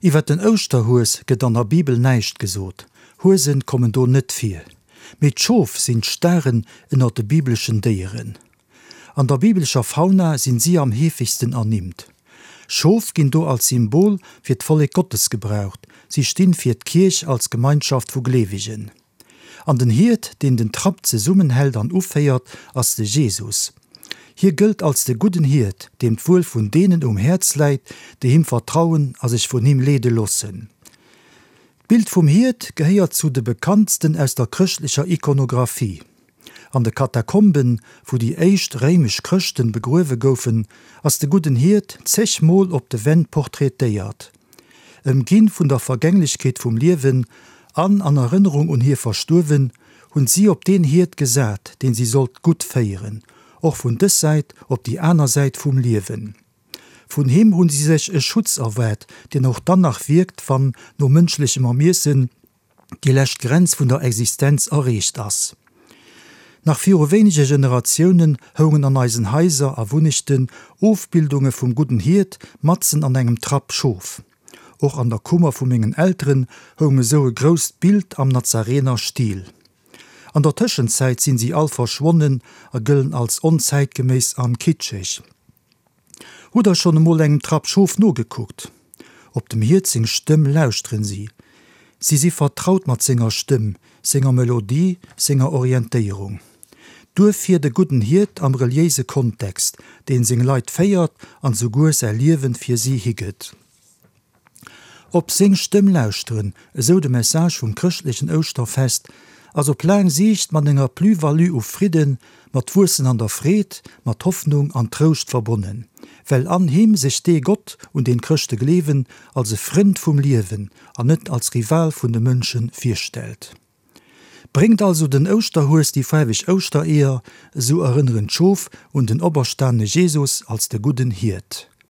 Iwwer den Ouschterhues gëtt an der Bibel näischt gesot, Huesen kommen do net vir. Mee d'Schof sinn d'Staren ënner de bibleschen Déieren. An der bibelescher Fauna sinn si am heefegsten ernimmt. Schof ginn do als Symbol fir d'Vollek Gottes gebraucht, si stinn fir d'Kierch als Gemeinschaft vu Gleewegen. An den Hiert, deen den Trapp zesummenhält an uféiert, ass de Jesus. Hie gëllt als de gudden Hiert, deem d'Wuel vun deenen um Häerz läit, déi him vertrauen a sech vun him leede loossen. D'Bild vum Hiert gehéiert zu de bekanntsten aus der chrëschtlecher Ikonographie. An de Katakomben, wou déi éischt réimesch Chrëschten begruewe goufen, ass de gudden Hiert zeg Mol op de Wänn portraitéiert. Ëmginn vun der Vergänglechkeet vum Liewen an an Erënnerung un hir Verstuerwen, hunn si op deen Hiert gesat, deen si sollt gutt féieren, och vun dës Säit op déi aner Säit vum Liewen. Vun him hunn si sech e Schutz erwaart, deen och dann nach wierkt, wann, no mënschlechem Ermiessen, déi lescht Grenz vun der Existenz erreecht ass. Nach viru wéinege Generatiounen houngen an eisen Haiser a Wunnechten Ofbildunge vum gudden Hiert matzen an engem Trapp Schof. Och an der Kummer vu mengen Elteren houng esou e grousst Bild am Nazarener Stil. An der Tëschenzäit sinn si all verschwonnen a gëllen als onzäitgeméiss an kitscheg. Hutt der schonn emol engem Trapp Schof nogekuckt? Op dem Hiert seng Stëmm lauschteren si. Si si vertraut mat senger Stëmm, senger Melodie, senger Orientéierung. Duerfir de gudden Hiert am reliéise Kontext, deen seng Leit féiert an souguer säi Liewen fir si higëtt. Op seng Stëmm lauschteren, esou de Message vum chrëschtlechen Ouschterfest, ass op laang Siicht mat enger Plus-value u Fridden, mat Wuessen an der Freed, mat Hoffnung an Trouscht verbonnen, well an him sech dee Gott, un deen d'Chrëschte gleewen, als e Frënd vum Liewen an net als Rival vun de Mënsche virstellt. Bréngt also den Ouschterhues déi faarweg Ouschtereeër, esou erënneren d'Schof un den operstanene Jesus als de gudden Hiert.